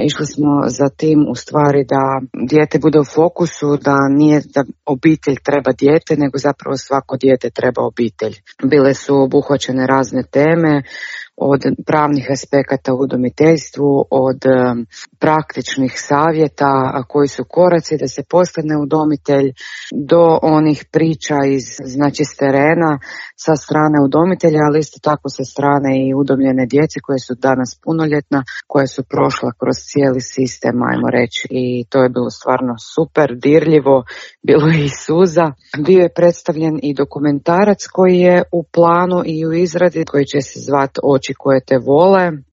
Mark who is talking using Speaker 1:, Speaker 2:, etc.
Speaker 1: Išli smo za tim u stvari da dijete bude u fokusu, da nije da obitelj treba dijete, nego zapravo svako dijete treba obitelj. Bile su obuhvaćene razne teme, od pravnih aspekata u udomiteljstvu, od praktičnih savjeta koji su koraci da se postane udomitelj, do onih priča s terena sa strane udomitelja, ali isto tako sa strane i udomljene djece koje su danas punoljetna, koja su prošla kroz cijeli sistem, ajmo reći, i to je bilo stvarno super, dirljivo, bilo je i suza. Bio je predstavljen i dokumentarac koji je u planu i u izradi, koji će se zvati Oči koje te vole.